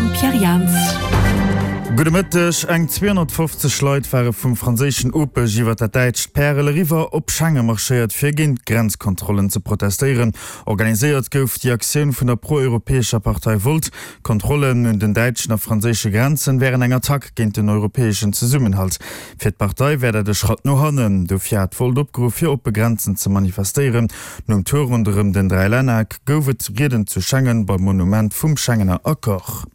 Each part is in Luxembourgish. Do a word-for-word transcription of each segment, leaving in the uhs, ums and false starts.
Mam Pierre Jans. Gudde Mëtteg. Eng zweehonnertfofzeg Leit ware vum franséischen Opech iwwer dat däitscht Pärel eriwwer op Schengen marschéiert, fir géint d'Grenzkontrollen ze protestéieren. Organiséiert gouf déi Aktioun vun der pro-europäescher Partei Volt. D'Kontrollen un den däitschen a franséische Grenzen wären eng Attack géint den europäeschen Zesummenhalt. Fir d'Partei wär dat e Schratt no hannen. Dofir hat Volt opgeruff, fir oppe Grenzen ze manifestéieren. Nom Tour ronderëm den Dräilännereck gouf et Rieden zu Schengen beim Monument vum Schengener Accord.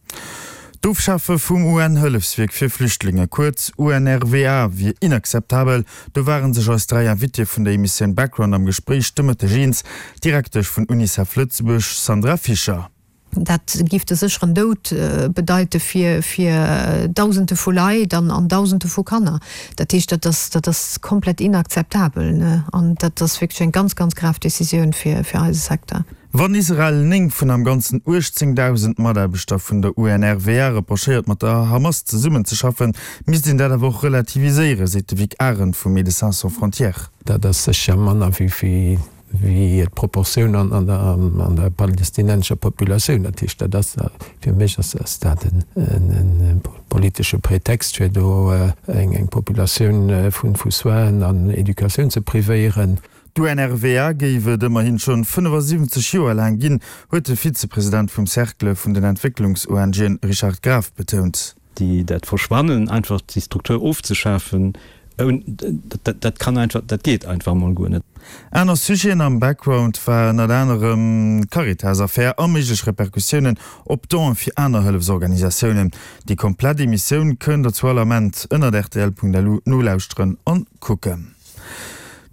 D'Ofschafe vum U N-Hëllefswierk fir Flüchtlinge, kuerz U N R W A, wier inakzeptabel. Do ware sech eis dräi Invitéë vun der Emissioun Background am Gespréich de Mëtteg eens. D'Direktesch vun UNICEF Lëtzebuerg, Sandra Fischer. Dat giff de sécheren Doud bedeite fir fir Dausende vu Leit an an Dausende vu Kanner. Dat heescht, dat ass dat ass komplett inakzeptabel, ne? An dat ass wierklech eng ganz, ganz grav Decisioun fir fir eise Secteur. Wann Israel néng vun am Ganzen uechtzéngdausend Mataarbechter vun der U N R W A reprochéiert, mat der Hamas zesummenzeschaffen, misst een dat awer och relativiséieren, seet de Vic Arendt vu Médecins Sans Frontières. Dat ass sécher manner wéi wéi d'Proportioun an an der an der palestinensescher Populatioun. Dat heescht, dat ass fir mech ass ass dat en en politesche Pretext, fir do eng eng Populatioun vun vu Soinen an Educatioun ze privéieren. D'U N R W A géif et ëmmerhin schonn fënnefasiwwenzeg Joer laang ginn, huet de Vizepresident vum Cercle vun den Entwécklungs-O N Gen Richard Graf betount. Déi dat Verschwannen, einfach déi Struktur ofzeschafen, dat, dat kann einfach, dat geet einfach mol guer net. Aner Sujeten am Background war ënnert anerem d'Caritas-Affär a méiglech Repercussiounen op Donen fir aner Hëllefsorganisatiounen. Déi komplett Emissioun kënnt der zu all Ament ënnert R T L Punkt L U nolauschteren an kucken.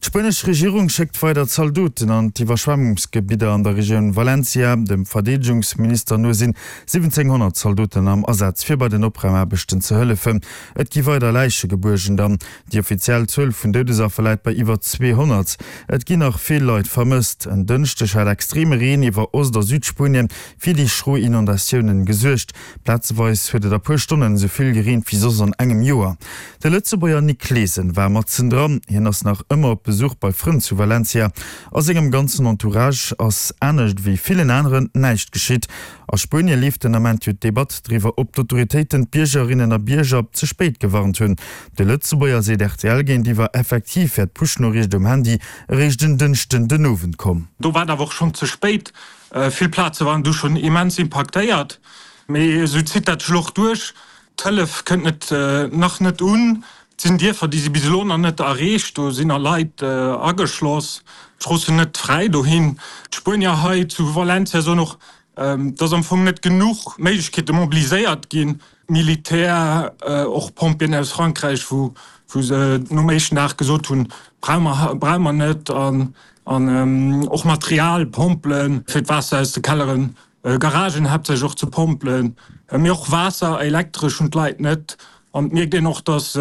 D'spuenesch Regierung schéckt weider Zaldoten an d'Iwwerschwemmungsgebidder an der Regioun Valencia. Dem Verdeedegungsminister no sinn siwwenzénghonnert Zaldoten am Asaz, fir bei den Opraumaarbechten ze hëllefen. Et gi weider Läiche gebuergen dann. Déi offiziell Zuel vun Doudesaffer läit bei iwwer zweehonnert. Et ginn nach vill Leit vermësst. En Dënschdeg hat extreme Reen iwwer Ost a Südspuenien fir déi schro Inondatiounen gesuergt. Plazeweis huet et a puer Stonnen esou vill gereent wéi soss an engem Joer. De Lëtzebuerger Nick Clesen war matzendran. Hien ass nach ëmmer op Besuch bei Frënn zu Valencia. A sengem ganzen Entourage ass anescht wéi villen aneren näischt geschitt. A Spuenie leeft den Ament jo d'Debatt driwwer, ob d'Autoritéiten d'Biergerinnen a Bierger ze spéit gewarnt hunn. De Lëtzebuerger seet R T L géintiwwer, effektiv wär d'Push-Noriicht um Handy eréischt en Dënschden den Owend komm. Do war et awer och schonn ze spéit. Vill Plaze waren du schonn immens impaktéiert. Mee esou zitt dat sech elo och duerch. D'Hëllef kënnt net, nach net un. Et sinn Dierfer, déi si bis elo nach net erreecht. Do sinn nach Leit ageschloss. D'Strooss sinn net fräi dohin. D'Spuenier hei zu Valencia soen och, dass am Fong net genuch Méiglechkeete mobiliséiert ginn, Militär, och Pompjeeën aus Frankräich, wou wou se nom éischten Dag gesot hunn, brauche mer, brauche mer net, an an och Material, Pompelen, fir d'Waasser aus de Kelleren, Garagen haaptsächlech och ze pompelen, mee och Waasser, Elektresch hunn d'Leit net. An et mierkt een och, dass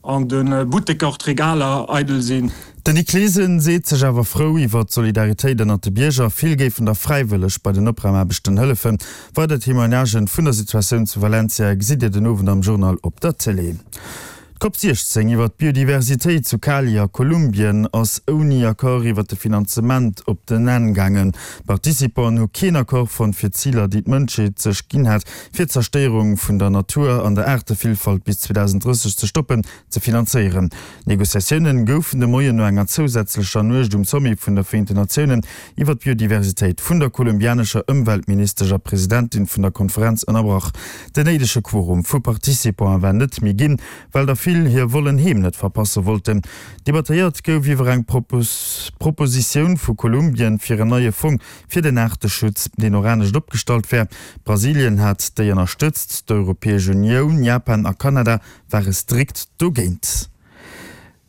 an de Butteker och d'Regaler eidel sinn. Den Nick Clesen seet sech awer frou iwwer d'Solidaritéit ënnert de Bierger. Vill géifen der fräiwëlleg bei den Opraumaarbechten hëllefen. Weider Témoignagen vun der Situatioun zu Valencia gesitt Dir den Owend am Journal op der Tëlee. D'Cop siechzéng iwwer d'Biodiversitéit zu Cali a Kolumbien ass ouni Accord iwwer de Finanzement op den Enn gaangen. D'Participanten hu keen Accord fonnt fir d'Ziler, déi d'Mënschheet sech ginn hat, fir d'Zerstéierung vun der Natur an der Aartevillfalt bis zweedausenddrësseg ze stoppen, ze finanzéieren. D'Negociatiounen goufen de Moien no enger zousätzlecher Nuecht um Sommet vun der Vereenten Natiounen iwwer d'Biodiversitéit vun der kolumbianescher Ëmweltministesch a Presidentin vun der Konferenz ënnerbrach. Den néidege Quorum vu Participanten war net méi ginn, well der vill hir Volen heem net verpasse wollten. Debattéiert gouf iwwer eng Propositioun vu Kolumbien fir en neie Fong fir den Aarteschutz, deen och anescht opgestallt wär. Brasilien hat déi ënnerstëtzt, d'Europäesch Unioun, Japan a Kanada ware strikt dogéint.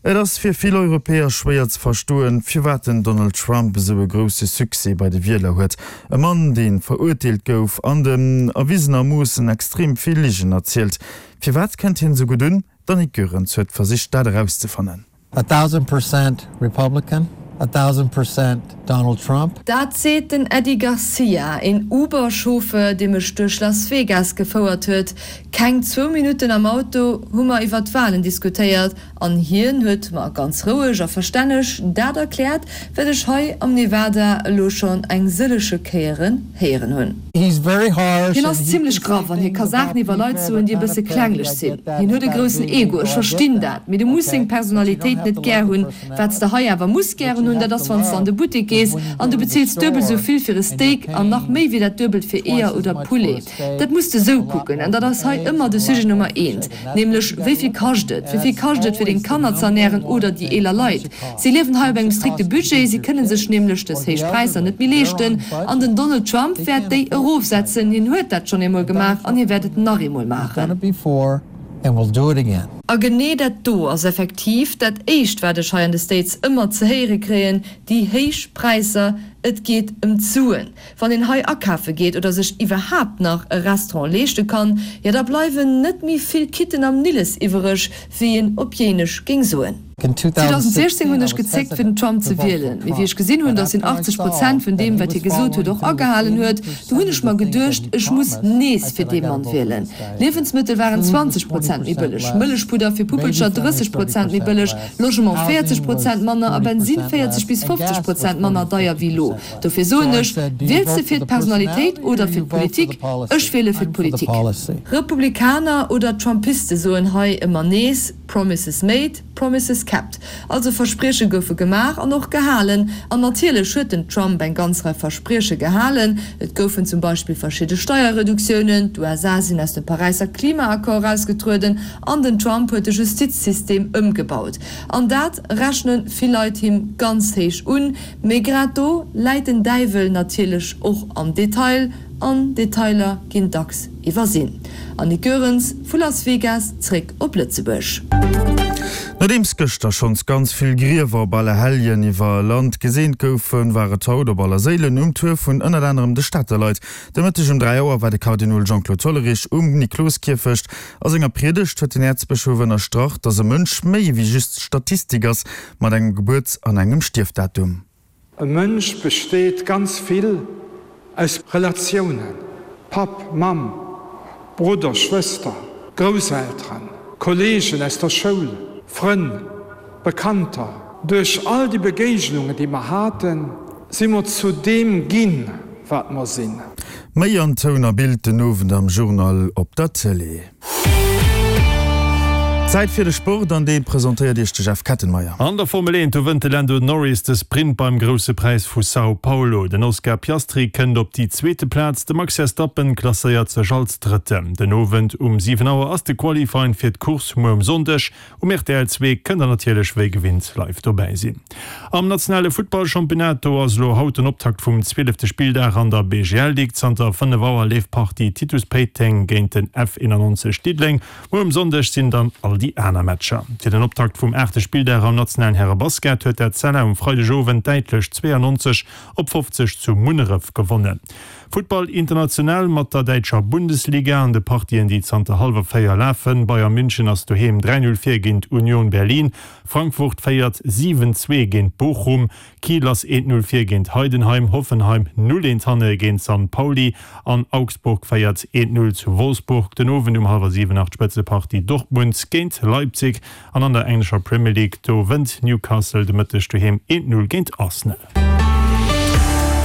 Et ass fir vill Europäer schwéier ze verstoen, firwat den Donald Trump esou e grousse Succès bei de Wieler huet. E Mann, dee verurteelt gouf an deen erwisenermoossen extrem vill Ligen erzielt. Firwat kënnt hien esou gutt un? D'Annick Goerens huet versicht, dat erauszefannen. A thousand percent Republican, a thousand percent Donald Trump. Dat seet den Eddie Garcia, een Uber-Chauffeur, dee mech duerch Las Vegas gefouert huet. Keng zwou Minutten am Auto hu mer iwwer d'Walen diskutéiert An hien huet mer ganz roueg a verstänneg dat erkläert, wat ech hei am Nevada elo schonn eng sëllege Kéieren héieren hunn. Hien ass zimmlech graff an hie ka Saachen iwwer Leit soen, déi e bësse klenglech sinn. Hien huet e groussen Ego, ech verstinn dat, mee du muss seng Personalitéit net gär hunn. Wat s de hei awer muss gären hunn, dat ass, wann s de an de Buttek gees an du bezills duebel esou vill fir e Steak an nach méi wéi dat Duebelt fir Eeër oder Poulet. Dat muss de sou kucken an dat ass hei ëmmer de Sujet Nummer eent, nämlech wéi vill kascht et? Wéi vill kascht et fir deng Kanner ze ernären oder déi eeler Leit? Si liewen hei op engem strikte Budget, si kënne sech nämlech dës héich Präisser net méi leeschten an den Donald Trump wäert déi erofsetzen. Hien huet dat schonn eemol gemaach an hie wäert et nach eemol maachen. A genee dat do ass effektiv dat éischt wat ech hei an de States ëmmer ze héiere kréien, déi héich Präisser. Et geet ëm d'Suen. Wann een hei akafe geet oder sech iwwerhaapt nach e Restaurant leeschte kann, jo da bleiwen net méi vill Kitten am Nilles iwwereg, wéi een op Jéinesch géing soen. zweedausendsiechzéng hunn ech gezéckt fir den Trump ze wielen, mee wéi ech gesinn hunn, datt hien achtzeg Prozent vun deem wat hie gesot huet och agehalen huet, du hunn ech mer geduecht, ech muss nees fir dee Mann wielen. Liewensmëttel waren zwanzeg Prozent méi bëlleg, Mëllechpudder fir Puppelcher drësseg Prozent méi bëlleg, Logement véierzeg Prozent manner a Bensinn véierzeg bis fofzeg Prozent manner deier wéi elo. Dofir soen ech, Wiels de fir d'Personalitéit oder fir d'Politik? Ech wiele fir d'Politik. Republikaner oder Trumpiste soen hei ëmmer nees, Promises made, promises kept. Also Versprieche goufe gemaach an och gehalen. An natierlech huet den Trump eng ganz Rei Versprieche gehalen. Et goufen zum Beispill verschidde Steierreduktiounen, d'USA sinn aus dem Paräisser Klimaaccord erausgetrueden an den Trump huet de Justizsystem ëmgebaut. An dat rechne vill Leit him ganz héich un. Mee grad do läit den Däiwel natierlech och am Detail, an Detailer ginn dacks iwwersinn. Annick Goerens vu Las Vegas zréck op Lëtzebuerg. Nodeems gëschter schonns ganz vill Griewer op Allerhelljen iwwer Land geseent goufen, war et haut op Allerséilen um Tour vun ënnert anerem de Stater Leit. De Mëtteg um dräi Auer war de Kardinol Jean-Claude Hollerich um Nikloskierfecht. A senger Priedegt huet den Äerzbëschof ënnerstrach, datt e Mënsch méi ewéi just Statistik ass, mat engem Gebuerts an engem Stierfdatum. E Mënsch besteet ganz vill aus Relatiounen, Papp, Mamm, Brudder, Schwëster, Grousselteren, Kolleegen aus der Schoul, Frënn, Bekannter. Duerch all déi Begéignungen, déi mer haten, si mer zu deem ginn, wat mer sinn. Méi an Toun a Bild den Owend am Journal op der Tëlee. Zäit fir de Sport an dee presentéiert Iech de Jeff Kettenmeyer. An der Formel eent, do wënnt de Lando Norris de Sprint beim Grousse Präis vu São Paulo. Den Oscar Piastri kënnt op déi zweete Plaz, de Max Verstappen klasséiert sech als Drëtten. Den Owend um siwen Auer ass de Qualifying fir d'Course muer um Sonndeg. Um rtl zwee kënnt der natierlech wéi gewinnt live dobäi sinn. Am nationale Futtballchampionnat, do ass elo haut den Optakt vum zwielefte Spilldag an der B G L Ligue. Zanter fënnef Auer leeft d'Partie Titus Péiteng géint den F eenannonzeg Diddeleng. Muer um Sonndeg sinn dann all déi aner Matcher. Fir den Optakt vum aachte Spilldag am nationalen Härebasket huet d'Etzella um Freidegowend däitlech zweeannonzeg op fofzeg zu Munneref gewonnen. Futtball international mat der däitscher Bundesliga an de Partien, déi zanter hallwer véier lafen. Bayern München ass doheem dräi Null vir géint Union Berlin, Frankfurt féiert siwen zwee géint Bochum, Kiel ass eent Null vir géint Heidenheim, Hoffenheim null eent hanne géint San Pauli an Augsburg féiert eent Null zu Wolfsburg. Den Owend um hallwer siwen nach d'Spëtzepartie Dortmund géint Leipzig an an der englescher Premier League, do wënnt Newcastle de Mëtteg doheem eent Null géint Arsenal.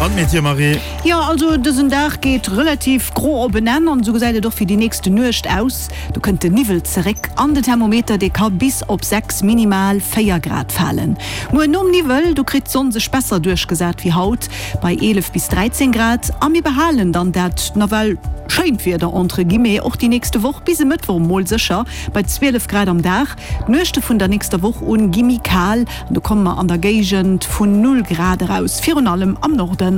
An d'Métier, Marie? Jo, also dësen Dag geet relativ gro op en Enn an esou gesäit et och fir déi nächste Nuecht aus. Do kënnt de Niwwel zeréck an den Thermometer, dee ka bis op sechs, minimal véier Grad falen. Muer nom Niwwel, do kritt d'Sonn sech besser duerchgesat wéi haut, bei eelef bis dräizéng Grad a mir behalen dann dat nawell schéint Wieder entre guillemets och déi nächste Woch bis e Mëttwoch mol sécher bei zwielef Grad am Dag. D'Nuechte vun der nächster Woch un gi méi kal an do komme mer an der Géigend vun null Grad eraus, virun allem am Norden.